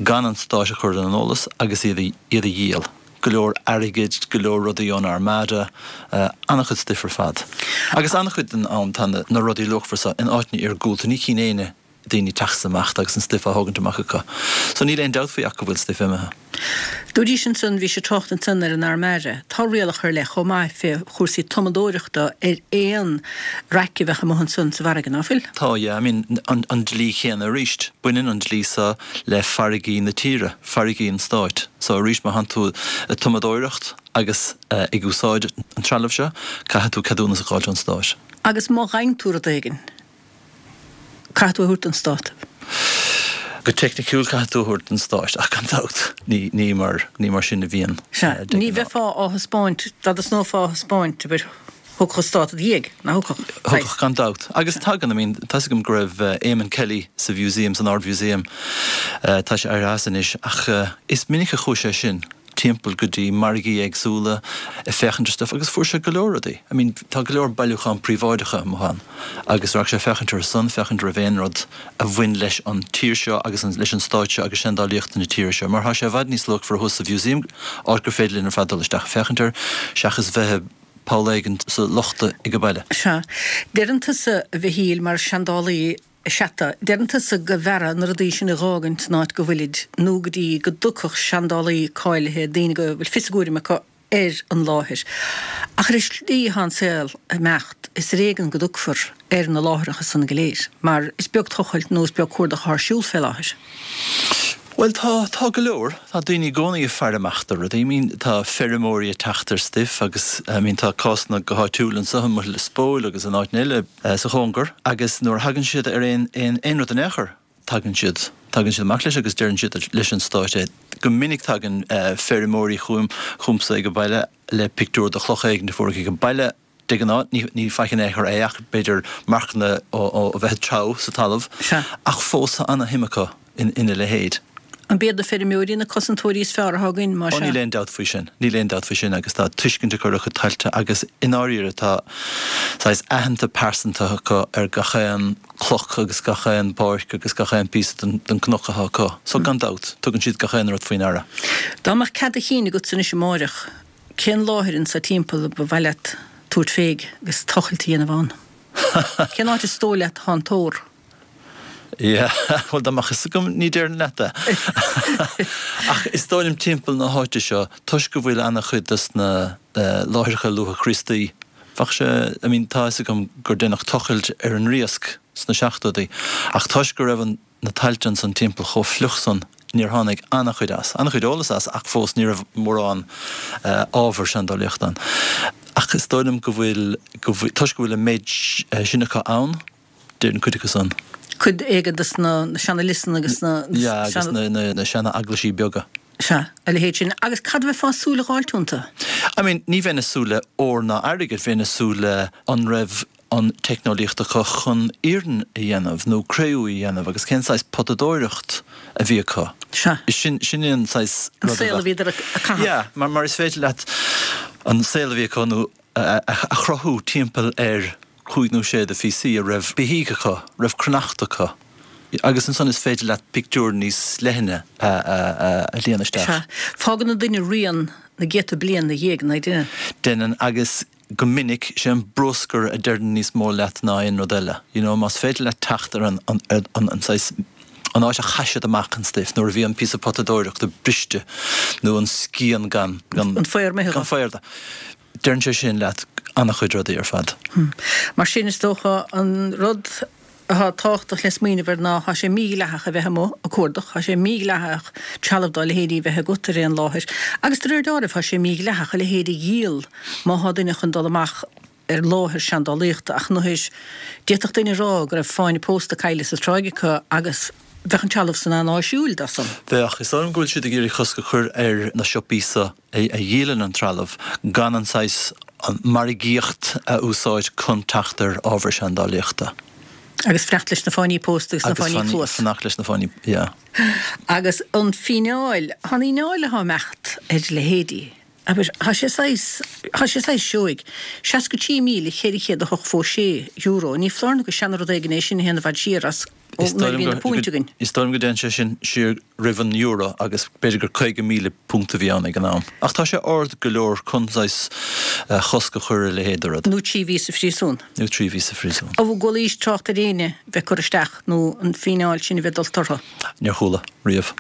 gan an Stát a chur ar an eolas agus iad a dhíol. Go leor airgid, go leor rudaí ón Armada, an-chuid stuif ar fad. Agus an-chuid den am tá na rudaí luachmhara seo in áiteanna iargúlta, ní chíonn éinne daoine ag teacht amach agus an stuif á thógaint amach acu. So níl aon dabht faoi ach go bhfuil stuif imithe. Dúraís ansan, bhís ag trácht ansan ar an Armada. Tá rialacha ar leith chomh maith fé chúrsaí tumadóireachta ar aon raic a bheadh amuigh ansan sa bhfarraige, ná fuil? Tá, yeah. I mean, an an dlí chéanna arís. Baineann an dlí so le farraigí na tíre, farraigí an stáit. So arís má thánn tú ag tumadóireacht agus ag úsáid an trealaimh seo, caithfidh tú ceadúnas a dh'fháilt ón stát. Agus má fhaigheann tú rud éigin, Caithfidh tú é a thabhairt don Stát. Go teicniciúil caithfidh tú a thabhairt don Stát ach gan dabht ní ní mar ní mar sin a bhíonn Sea, de ní ghnáth. bheifeá á thaispeáint, dá dtosnófá á thaispeáint, abair, thiocfadh an Stát i do dhiaidh, nach thiocfadh? Thiocfadh gan dabht. Agus tagann, I mean, tá's agam go raibh Eamon Kelly sa Mhúsaem, san Ard-Mhúsaem, tá sé éirithe as anois, ach is minic a chuaigh sé sin. timpeall go dtí margaí éagsúla ag féachaint ar stuif agus fuair sé go leor rudaí. I mean tá go leor bailiúchán príobháideacha amuigh ann agus raghadh sé féachaint orthu san, féachaint raibh aon rud a bhain leis an tír seo agus an, leis an stát seo agus seandálaíocht na tíre seo mar tá sé i bhfad níos luachmhaire thuas sa mhúsaem, áit gur féidir linn ar fad dul isteach ag féachaint air seachas bheith i bpoll éigin sa lochta ag baile. Sea. Deireann tusa, a Mhichíl, mar seandálaí, Sea, deireann tusa go mb'fhearra na rudaí sin a dh'fhágaint san áit go bhfuilid, nó go dtí go dtiocfadh seandálaí cáilithe, daoine go bhfuil fios a gcúraim acu, ar an láthair. Ach ar an slí atá an saol ag imeacht, is ar éigean go dtiocfar ar na láithreacha san go léir, mar is beag tochailt nó is beag cuardach atá ar siúl fé láthair. Bhuel, tá, tá go leor. Tá daoine i gcónaí ag faire amach do rudaí. I mean, tá feirmeoirí ag teacht ar stuif agus, I mean, tá cásanna go háitiúil anseo i mBaile Lios Póil agus in áiteanna eile sa chóngar agus nuair a thagann siad ar aon, aon, aon rud in aon chor, tagann siad, tagann siad amach leis agus deireann siad leis an Stát é. Go minic tagann feirmeoirí chugam, chugamsa ag an baile le pictiúr de chloch éigin a fuaireadh ag an baile, De ghnáth, ní faic in aon chor é ach b'fhéidir marcanna ó bheith ag treabhadh sa talamh, ach fós tá ana-shuim acu ina leithéid. An b'iad na feirmeoirí na cosantóirí is fearr atá againn, más ea? Ó níl aon dabht faoi sin. Níl aon dabht faoi sin agus tá tuiscint acu ar a gcuid tailte agus i ndáiríre tá saghas aitheanta pearsanta acu ar gach aon cloch agus gach aon páirc agus gach aon píosa den cnoc atá acu. So gan dabht, tugann siad gach aon rud faoi ndeara. Dá mbeadh cead a chinn agatsa anois amáireach, cén láthair anso timpeall a ba mhaith leat tabhairt fé agus tochailt a dhéanamh ann? Cén áit is dóigh leat atá an t-ór? Yeah, bhuel dá mbeadh fhios agam ní déarfainn leat é. Ach is dóigh liom timpeall na háite seo, toisc go bhfuil ana-chuid dos na láithreacha luath-Chríostaí, bheadh sé, I mean tá fhios agam gur deineadh tochailt ar an Riasc sna seachtóidí, ach toisc go raibh an, na tailte ansan timpeall chomh fliuch san, níor tháinig ana-chuid as. Ana-chuid eolas as ach fós ní raibh mórán ábhar seandálaíochta ann. Ach is dóigh liom go bhfuil, go bhfuil, toisc go bhfuil an méid sin acu ann, Déarfainn cuid acu san. Cuid éigin de na seana-liosanna agus na. Yeah, agus na seana-eaglaisí beaga. Sea, a leithéid sin. Agus cad a bheifeá ag súil a dh'fháilt iontu? I mean, ní bheinn ag súil le ór ná airgead, bheinn ag súil le an raibh an teicneolaíocht acu chun iarann a dhéanamh nó cré-umha a dhéanamh agus cén saghas potadóireacht a bhí acu. Sea. Sin, sin é an saghas rud a bheadh. An saol a bhíodar ag caitheamh. Yeah, mar, mar is féidir leat an saol a bhí acu nó a chruthú timpeall ar chúig nó sé de phíosaí a raibh beithígh acu, raibh cruithneacht acu agus ansan is féidir leat pictiúr níos leithne a líonadh isteach. Sea. Fágann an duine rian na gcéadta bliain ina dhiaidh, nach ndeineann? Deineann agus go minic sé an bruscar a deireann níos mó leat ná aon rud eile. You know, más féidir leat teacht ar an, an, an, an saghas, an áit a chaith siad amach an stuif nuair a bhí an píosa potadóireachta briste nó an scian gan, gan, An faobhar imithe gan faobhar de. Deireann sé sin leat an-chuid rudaí ar fad. Mar sin, is dócha, an rud atá tábhachtach le smaoineamh air ná, tá sé mídhleathach a bheith amuigh ag cuardach, tá sé mídhleathach trealamh dá leithéidí a bheith agat ar aon láthair, agus de réir deáraimh, tá sé mídhleathach a leithéid a dhíol má thá duine chun dul amach ar láthair seandálaíochta. Ach nuair, d'fhéadfadh duine a rá go raibh fáinne pósta caillte sa tráigh acu agus bheadh an trealamh san an-áisiúil dó san. Bheadh. Is dóigh liom go bhfuil siad ag iarraidh cosc a chur ar na siopaí so a dhíolann an trealamh gan an saghas margaíocht a úsáid chun teacht ar ábhar seandálaíochta. Agus fanacht leis na fáinní pósta agus na fáinní cluas. Agus fanacht leis na fáinní, yeah. Agus an fíneáil, tá an fhíneáil atá ag imeacht ar leithéidí, abair, tá sé saghas, tá sé saghas seoigh. €63,486, ní foláir nó gur seana-rud éigin é sin a théann i bhfad siar as ó nuair a bhí na púint againn. Is dóigh liom go dtéann sé sin siar roimh an euro agus b'fhéidir gur £50,000 a bhí ann ag an am. Ach tá sé ard go leor chun saghas chosc a chur ar a leithéid de rud. Nó 3 mhí sa phríosún. Nó 3 mhí sa phríosún. An gcualaís trácht ar éinne bheith curtha isteach nó an fíneáil sin a bheith dulta orthu? Níor chuala, riamh.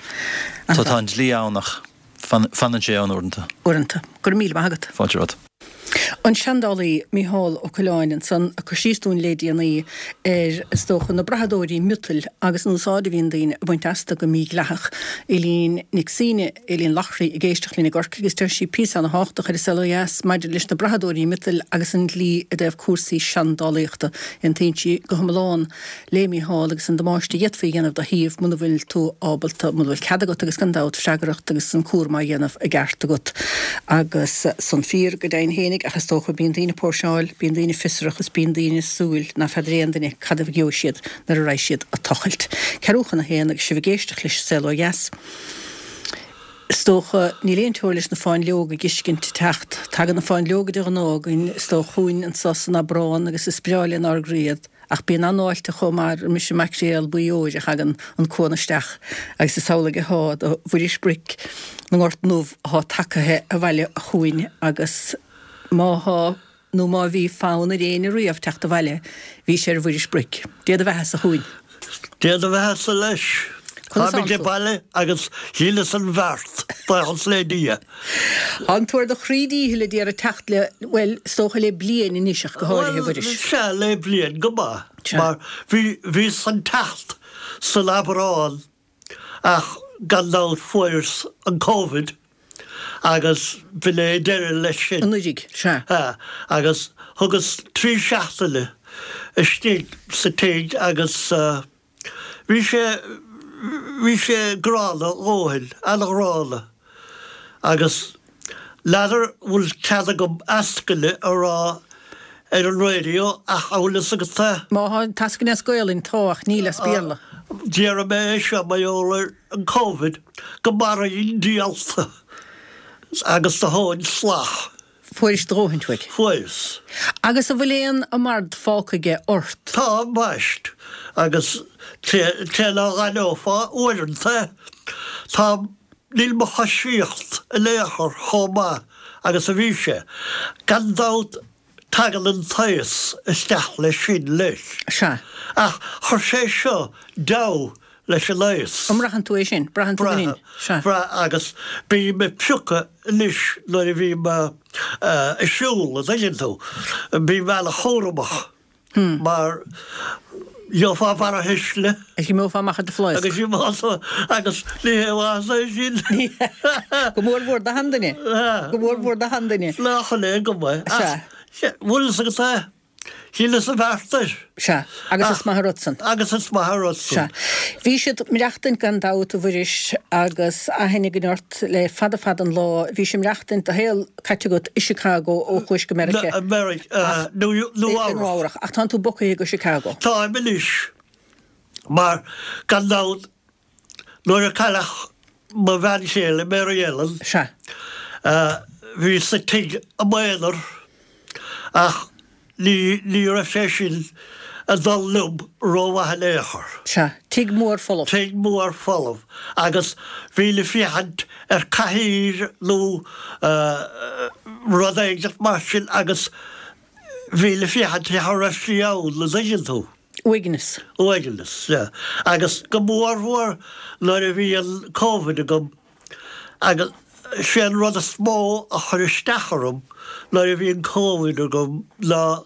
So tá an dlí ann ach fanann sé ann uaireanta. Uaireanta. Go raibh míle maith agat. Fáilte romhat. An seandálaí Mícheál Ó Coileáin ansan ag cur síos dúinn lé déanaí ar, is dócha, na brathadóirí miotail agus an úsáid a bhíonn daoine ag baint astu go mídhleathach. Eileen Nic Suibhne, Eileen Loughrey ag éisteacht linn i gCorcaigh agus deir sí píosa ana-thábhachtach ar An Saol Ó Dheas maidir leis na brathadóirí miotail agus an dlí i dtaobh cúrsaí seandálaíochta. Aontaíonn sí go hiomlán lé Mícheál agus an damáiste a d'fhéadfaí a dhéanamh do shuíomh muna bhfuil tú ábalta, muna bhfuil cead agat agus gan dabht freagracht agus an cúram á dhéanamh i gceart agat. Agus san fíor go deimhin fhéinig ach is dócha bíonn daoine ag póirseáil, bíonn daoine fiosrach is bíonn daoine ag súil ná feadar aon duine cad a gheobhaidh siad nuair a raghaidh siad ag tochailt. Ceathrú chun a haon agus sibh ag éisteacht leis An Saol Ó Dheas. Is dócha, níl aon teora leis na fáinleoga ag fheiscint ag teacht. Tagann na fáinleoga de ghnáth againn, is dócha, chugainn anso san Aibreán agus is breá lenár gcroí iad. Ach bíonn an-fháilte chomh maith roimis an maicréal buí óir a thagann an cuan isteach agus is amhlaidh athá do Mhuiris Bric na nGort nDubh athá tagaithe abhaile chugainn agus má thá nó má bhí fonn ar éinne riamh teacht abhaile bhí sé ar Mhuiris Bric. Dé do bheatha-sa a Chú. Dé do bheatha-sa leis. Conas Táimid thánn tú? abhaile agus dhíolas an bheart, buíochas le Dia. Tá an tú ar do chroí díchill a d'iarraidh teacht le, bhuel, is dócha le bliain anois ach go háirithe, a Bhuel, Mhuiris. sea, le bliain go maith, Sea. mar bhí, bhíos chun teacht san Aibreán ach gan dabht fuaireas an Covid agus b'in é deireadh leis sin. Anuraidh, sea. Sea, agus thugas trí seachtaine istigh sa tigh agus, Bhí sé, bhí sé gránna a dhóthain, an-ghránna. Agus n'fheadar bhfuil cead agam eascaine a rá ar an raidió ach an bhfuil fhios agat é? Má thá an t-eascaine as Gaolainn, tá, ach níl as Béarla. Déarfaidh mé é seo mar gheall ar an Covid, go maraíonn diallta agus do thóin salach. Fuairis do dhóthaint uaidh. Fuaireas. Agus an bhfuil aon amard fágtha aige ort? Tá, ambaist. Agus cé ná n-aithneofá uaireanta é, tá, níl mo choisíocht in aon chor chomh maith agus a bhí sé. Gan dabht Tagann an t-aos isteach leis sin leis. Sea. Ach chuir sé seo deabhadh leis an aos. An mbraitheann tú é sin? Braitheann tú go Sea. Braith, agus bím ag piocadh anois nuair a bhím ag siúl, an dtuigeann tú. Bím ana-chúramach mar gheofá barrathuisle. Agus imeofá amach ar do phlaosc. Agus imeofá, agus ní hé mhaitheas é sin. Go mór mhór do sheanduine. Go mór mhór do sheanduine. Nach in é go maith. Sea. Ach, bhfuil fhios agat é, shíleas an bheart air. Sea, agus is maith an rud san. Agus is maith an rud san. Sea. Bhís ag maireachtaint gan dabht, a Mhuiris, agus aithne againn ort le fada fada an lá. Bhís ag maireachtaint, do shaol caite agat i Chicago ó chuais go Meiriceá. Meiriceá, Nua-Eabhrac. Ach tánn tú bogtha go Chicago. Táim anois, mar gan dabht nuair a cailleadh mo bhean chéile, Mary Ellen, Sea. bhíos sa tigh i m'aonar ach Ní, ní raibh sé sin ag dul liom rómhaith in aon chor. Sea, tigh mór folamh. Tigh mór folamh. Agus bhínn ag féachaint ar cathaoir nó rud éigint mar sin agus bhínn ag féachaint cha raibh sí ann, an dtuigeann tú. Uaigneas. Uaigneas, sea. Agus go mórmhór nuair a bhí an Covid agam, Agus sé an rud is mó a chuir isteach orm nuair a bhí an Covid agam ná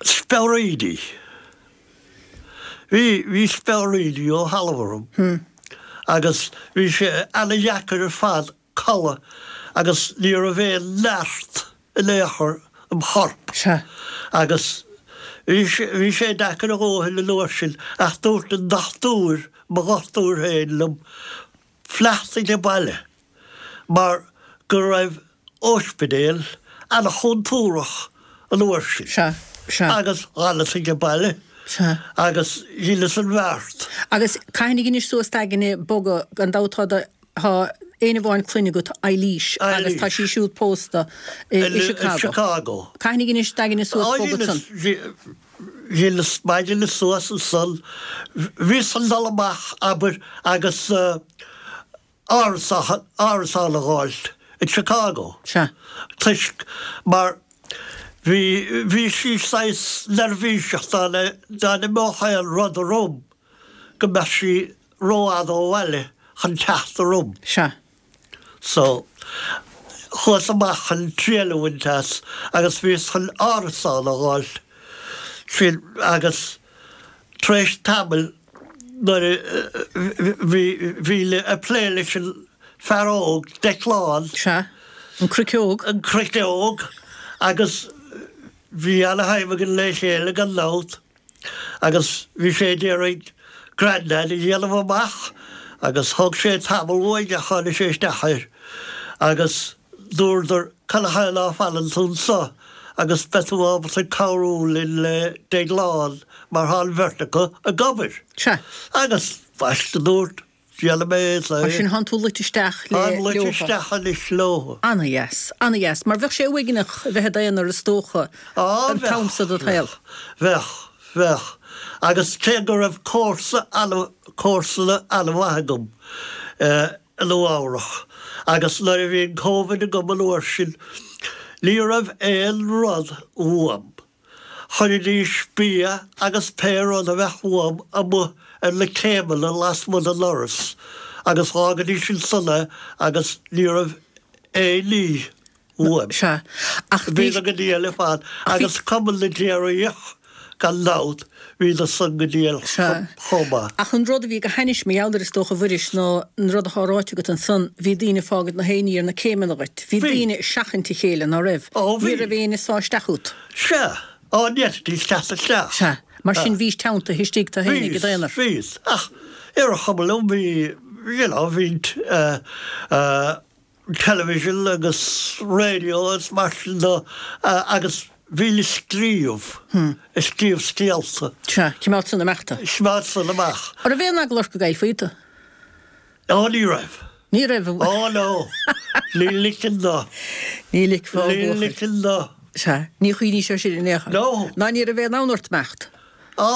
speabhraídí. Bhí, bhí speabhraídí ó thalamh orm agus bhí sé ana-dheacair ar fad codladh agus ní raibh aon neart in aon chor im chorp. Sea. Agus bhí sé, bhí sé deacair a dhóthain an uair sin ach dúirt an dochtúir, mo dhochtúir féin liom fanacht age baile mar go raibh óispidéal ana-chontúrach an uair sin. Sea, sea. Agus dh'fhanas age baile. Sea. Agus dheineas an bheart. Agus cathain a dheinis suas d'aigne bogadh, gan dabht tá do, tá éinne amháin clainne agat, Eilís, agus tá sí siúd pósta i Chicago. I Chicago. Cathain a dheinis d'aigne suas bogadh san? Dheineas m'aigne suas ansan. Bhíos chun dul amach, abair, agus árasán, árasán a dh'fháilt i Chicago. Sea. Toisc, mar bhí, bhí sí saghas neirbhíseach dá, dá n-imeodh aon rud orm go mbeadh sí rófhada ó bhaile chun teacht orm. Sea. So, chuas amach chun triail a bhaint as agus bhíos chun árasán a dh'fháilt sin agus tar éis tamaill nuair a bhí, bhí ag plé leis an fear óg, Declan. Sea, an cruiceog. An cruiceog agus bhí ana-thaobh againn le chéile gan dabht. Agus bhí sé ag iarraidh Grandad a dhéanamh amach agus thóg sé tamall uaidh ach tháinig sé isteach air agus dúradar canathaobh ná fanann tú anso agus beidh tú ábalta cabhrú linn le Déaglán mar thá an bheirt acu ag obair. Sea. Agus bhaist a dúirt Déanfaidh mé é. Mar sin thánn tú luite isteach le Táim luite isteach anois leo. Ana-dheas, ana-dheas. Mar bheadh sé uaigneach a bheith i d'aonar is dócha Á, an t-am bheadh, so de do shaol. bheadh, bheadh. Agus cé go raibh comharsa ana, comharsana ana-mhaith agam i Nua Eabhrach agus nuair a bhí an Covid agam an uair sin ní raibh aon rud uaim. Chuiridís bia agus pé rud a bheadh uaim amuigh ar na céimeanna lasmuigh den ndoras agus dh'fhágaidís ansan é agus ní raibh aon ní uaim. Sea, ach bhí. Bhíodar go diail ar fad agus Cumann na gCléireach gan dabht, bhíodar san go diail chomh maith. Ach an rud a bhí go hainnis mar gheall air is dócha a Mhuiris ná an rud atá ráite agat ansan, bhí daoine ag fágaint na haon ní ar na céimeanna dhuit. Bhí daoine ag seachaint a chéile, ná raibh? Ó bhí. Ní raibh éinne ag sá isteach fút. Sea. Á ní fhéadfaidís teacht isteach. Sea. Mar sin bhís teanntaithe istigh tú fhéinig i d'aonar. Bhíos, bhíos. Ach ar an chuma liom bhí, you know, bhí eh, eh, television agus radio agus mar sin de agus. Bhínn ag scríobh, ag scríobh scéalta. Sea, choimeád san amach tú. Choimeád san amach. An raibh aon eagla ort go gcaillfí tú? Ó, ní raibh. Ní raibh? Ó, no. Ní ligfinn dó. Ní ligfeá, a bhuachaill. Ní ligfinn dó. Sea, ní chuimhníos air sin in aon chor. No. Ná ní raibh aon fhonn ort imeacht. Á,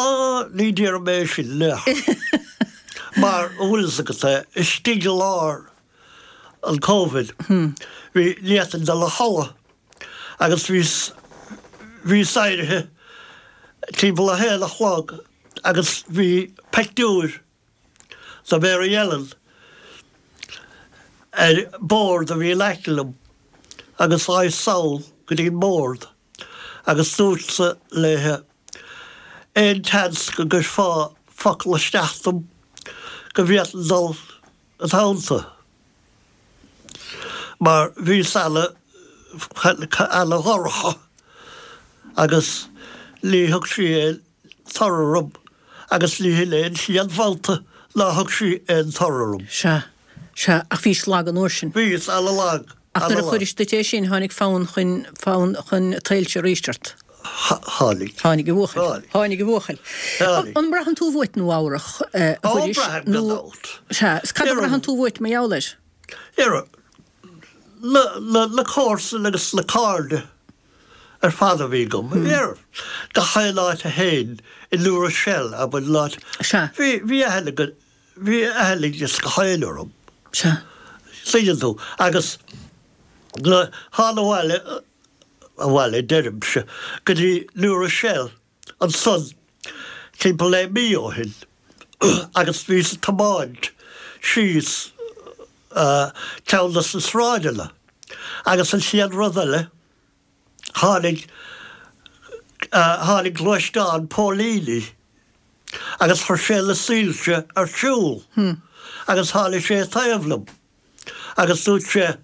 ní déarfaidh mé sin in aon chor. Mar, an bhfuil fhios agat é, istigh i lár an Covid, bhí, ní fhéadfainn dul a chodladh agus bhíos, bhíos éirithe timpeall a haon a chlog agus bhí peictiúr de Mary Ellen ar bord a bhí in aice liom agus ghabhas sall go dtí an mbord agus dúrtsa léithe aon tseans go gcuirfeá focal isteach dom go bhféadfainn dul id theannta mar bhíos ana ana dhorcha agus ní thug sí aon toradh orm agus ní hin é an chéad bhabhta nár thug sí aon toradh orm. Sea, sea, ach bhís lag an uair sin. Bhíos ana-lag, Ach nuair a chuiris duit é sin, tháinig fonn chun, fonn chun soilse arís ort. Tháinig. Tháinig a bhuachaill. Tháinig. Tháinig a bhuachaill. Tháinig. An mbraitheann tú uait Nua Eabhrach, a Ó, Mhuiris? braithim gan Nó, dabht. sea, is cad a bhraitheann tú uait mar gheall air? Ar, na, na, na comharsain agus na cairde. ar fad a bhí agam. Ar gach aon áit a théinn, i New Rochelle, abair, an áit, Sea. bhí, bhí aithne go, bhí aithne ag gach éinne orm. Sea. Tuigeann tú. Agus nuair a thána abhaile, abhaile deirimse, go dtí New Rochelle ansan timpeall le mí ó shin agus bhíos ag tiomáint síos ceann de na sráideanna agus an chéad rud eile, tháinig, tháinig gluaisteán póilíní agus chuir sé na soilse ar siúl agus tháinig sé taobh liom agus dúirt sé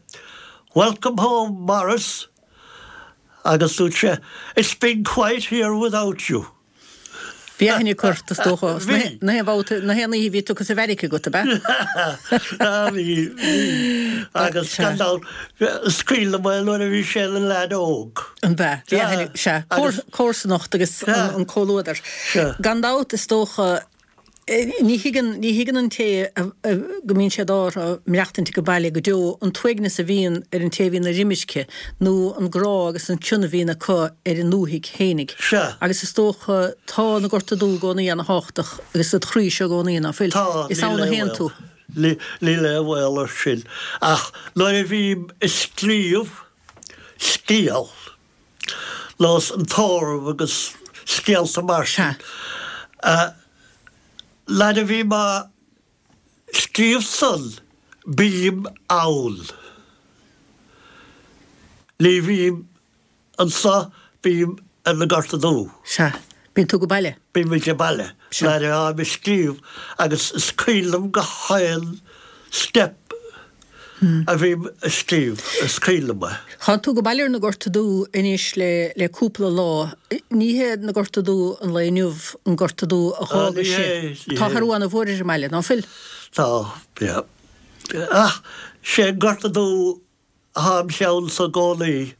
Welcome home Maurice agus dúirt sé It's been quiet here without you. Bhí aithne acu ort, is dócha. Bhí. Na haon bhabhta, na haon oíche a bhí tugtha sa bheairic agat, ab ea? Bhí, bhí. Agus gan dabht, is cuimhin liom é nuair a bhí sé ina leaid óg. An b'ea? Bhí aithne, sea. Comharsanacht agus an comhluadar. Gan dabht, is dócha, Ní thuigeann, ní thuigeann an té go mbíonn sé d'ádh orthu maireachtaint age baile go deo an t-uaigneas a bhíonn ar an té a bhíonn ar imirce nó an grá agus an cion a bhíonn acu ar a ndúthaigh fhéinig. Sea. Agus is dócha, tá na Gorta Dubha i gcónaí ana-thábhachtach agus id chroí seo i gcónaí, ná fuil? Tá, Is níl ann a aon théann bhaol. tú. Níl aon bhaol air sin. Ach nuair a bhím ag scríobh scéal, nós an tórramh agus scéalta mar sin. Nuair a bhím á scríobh san, bím ann. Ní bhím anso, bím ar na Gorta Dubha. Sea. Bíonn tú age baile. Bím age baile nuair atáim ag scríobh agus is cuimhin liom gach aon step a bhím ag scríobh, is cuimhin liom é. Tánn tú age baile ar na Gorta Dubha anois le le cúpla lá. Ní hé na Gorta Dubha an lae inniu an Gorta Dubha a dh'fhágais Ní hé, Tá athrú ana-mhór ar an mbaile, ná fuil? Tá, yeah. Ach sé an Gorta Dubh atá im cheannsa i gcónaí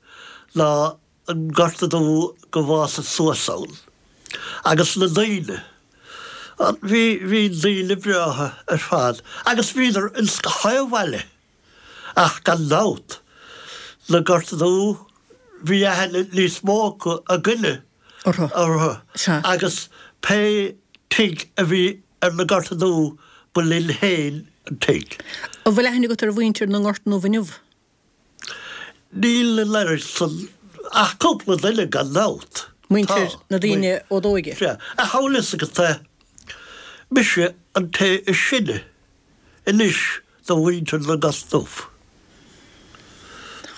ná an Gorta Dubh go bhfásas suas ann. Agus na daoine. Bhí, bhí daoine breátha ar fad agus bhíodar ins gach aon bhaile. Ach gan dabht, na Gorta Dubha, bhí aithne níos mó acu againne Orthu. orthu. Sea. Agus pé tigh a bhí ar na Gorta Dubha ba linn féin an tigh. An bhfuil aithne agat ar mhuintir na nGort nDubh inniu? Níl an oiread san, ach cúpla duine gan dabht. Muintir, Tá. na daoine ó d'óige. Sea. Ach an bhfuil fhios agat é, mise an té is sine anois de mhuintir na nGort Dubh.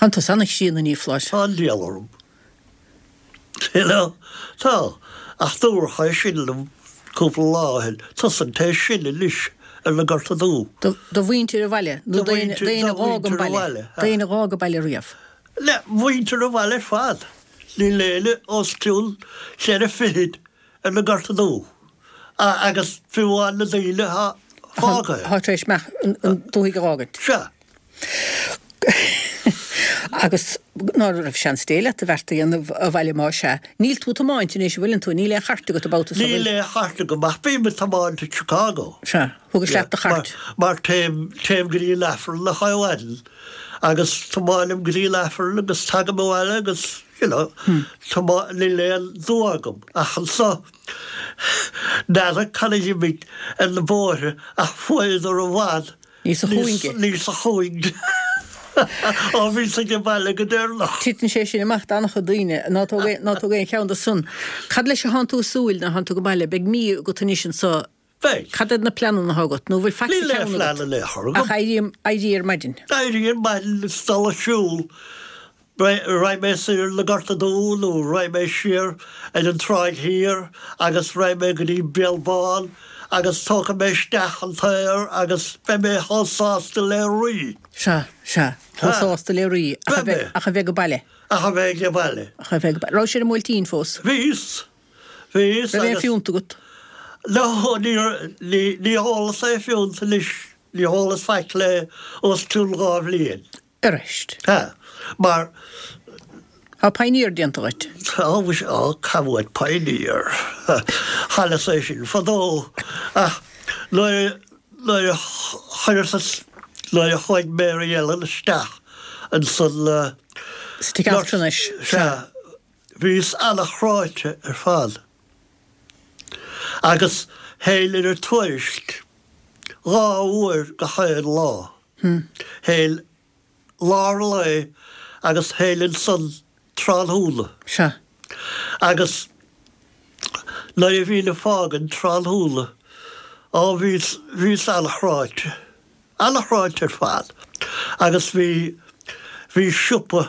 Tánn tusa ana-chríonna, a Niocláis. Tá an diabhal orm. You know? Tá. Ach dúradh é sin liom cúpla lá ó shin, tusa an té is sine anois ar na Gorta Dubha. Do mhuintir an bhaile, nó d'éinne a dh'fhág an baile, d'éinne a dh'fhág an baile riamh. Le muintir an bhaile ar fad. Níl éinne os cionn cheithre fichid ar na Gorta Dubha. Agus fiú amháin na daoine atá fágtha. Atá tar éis an dúthaigh a dh'fhágaint. Sea. Agus ná raibh seans Dé leat do bheart a dhéanamh abhaile más ea. Níl tú ag tiomáint anois, an bhfuileann tú? Níl aon chairt agat an babhta so, Níl bhfuil? aon chairt agam ach bím ag tiomáint i Chicago. Sea. Thugais leat do chairt. Mar téim, téim go dtí an Aifreann gach maidin agus tiomáinim go dtí an Aifreann agus tagaim abhaile agus, you know, tiomá, níl aon dua agam ach anso n'fheadar cad a d'imigh ar na bóithre ach fuaireadar i bhfad Níosa chúinge. Níosa chúinge. Ó bhíos age baile go deireanach. Titeann sé sin amach d'an-chuid daoine. Ná tóg ná tóg aon cheann de san. Cad leis a thánn tú ag súil nuair a thánn tú age baile? Beidh mí agat anois anso. Beidh. Cad iad na pleananna atá agat? Nó bhfuil faic sa Níl aon cheann phlean agat? in aon chor agam. Ach éirí, éirí ar maidin. Éirí ar maidin is dul ag siúl. Raghaidh mé soir na Gorta Dubha nó raghaidh mé siar ar an Tráigh Thiar agus raghaidh mé go dtí Béal Bán agus tógfaidh mé isteach an t-aer agus beidh mé chomh sásta le rí. Sea, sea, chomh sásta le rí, ach a bheith, ach a bheith age baile. Ach a bheith age baile. Ach a bheith age baile. Raibh sé ar an mBuailtín fós? Bhíos, bhíos Raibh aon agus. phiúnt agat? No, ní, ní, ní hólas aon phiúnt anois, ní hólas faic le os cionn 2 bhliain. Arís. Tá. Mar. Tá pioneer déanta dhuit. Tá, mhuise, á, cá bhfuair pioneer? Chailleas é sin fadó. Ach nuair a, nuair a chuireas, nuair a chuaigh Mary Ellen isteach ansan. Sa tigh altranais. Sea. Bhíos ana-chráite ar fad. Agus théinn ar an tuairisc 2 uair gach aon lá. Théinn lár an lae agus théinn ansan tráthnóna. Sea. Agus nuair a bhínn ag fágaint tráthnóna, á bhíos, bhíos an-chráite. An-chráite ar fad. Agus bhí, bhí siopa,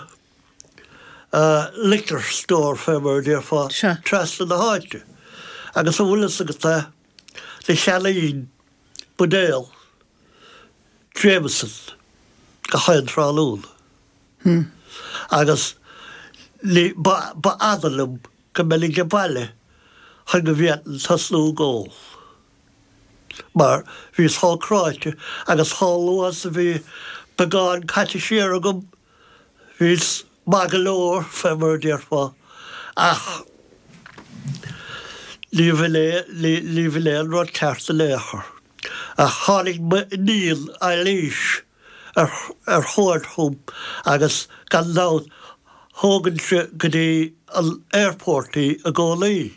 liquor store fé mar a déarfá, Sea. trasna na háite. Agus an bhfuil fhios agat é, do cheannaínn buidéal Jameson gach aon tráthnóna. Agus ní, ba, ba fhada liom go mbeinn age baile chun go bhféadfainn tosnú ag ól. Mar bhíos chomh cráite agus chomh luath is a bhí beagán caite siar agam, bhíos maith go leor, fé mar a déarfá, ach ní bh'in é, ní, ní bh'in é an rud ceart in aon chor. Ach tháinig m'iníon Eilís ar ar chuairt chugam agus gan dabht thógainnse go dtí an airport í i gcónaí.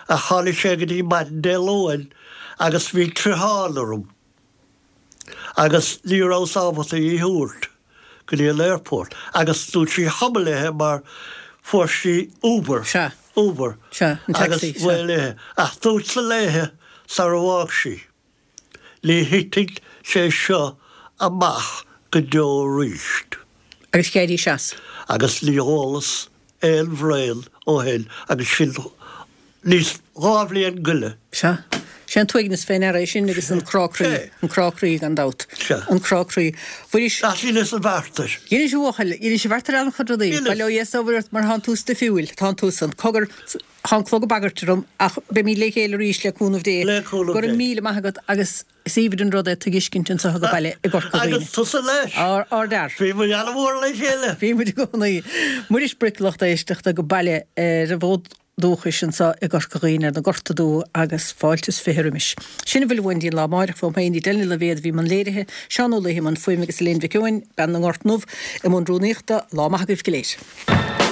Ach tháinig sé go dtí maidin Dé Luain agus bhí troitheán orm agus ní rabhas ábalta í a thabhairt go dtí an airport agus dúirt sí chuma léithe mar fuair sí Uber, Sea. Uber, Sea, an agus taxi, sea. bhuel léithe. Ach dúirt-sa léithe sara bhfág sí, ní thitfidh sé seo amach go deo aríst. Agus d'éirigh as. Agus ní chualas aon bhraon ó shin agus sin níos, 2 bhliain goile. Sea. Sé an t-uaigneas fé ndeara é sin agus an crá croí. An crá croí gan dabht. Sea. An crá croí. Mhuiris. Ach dheineas an bheart air. Dheinis a bhuachaill, dheinis an bheart ar an-chuid rudaí. Dheineas. Bail ó Dhia is ó Mhuire ort mar thánn tú stuifiúil. Tánn tusa. Cogar, thá an clog ag bagairt orm ach beimíd le chéile arís le cúnamh Dé. Le cúnamh Go raibh Dé. míle maith agat agus is aoibhinn an rud é tú a fheiscint anso age baile i gCorca Dhuibhne. Agus tusa leis. Ár, ardfhear. Bhí muid an-mhór le chéile. Bhí muid i gcónaí. Muiris Bric lucht éisteachta age baile ar an bhfód dúchais anso i gCorca Dhuibhne ar na Gorta Dubha agus fáilte is 20 roimis. Sin a bhfuil uainn dtí an lá amáireach uaim féin Edel Ní Loibhéad a bhí i mbun léirithe, Seán Ó Laoithe i mbun fuaime agus Elaine Mhic Eoin, bean na nGort nDubh, i mbun rúnaíochta. Lá maith agaibh go léir.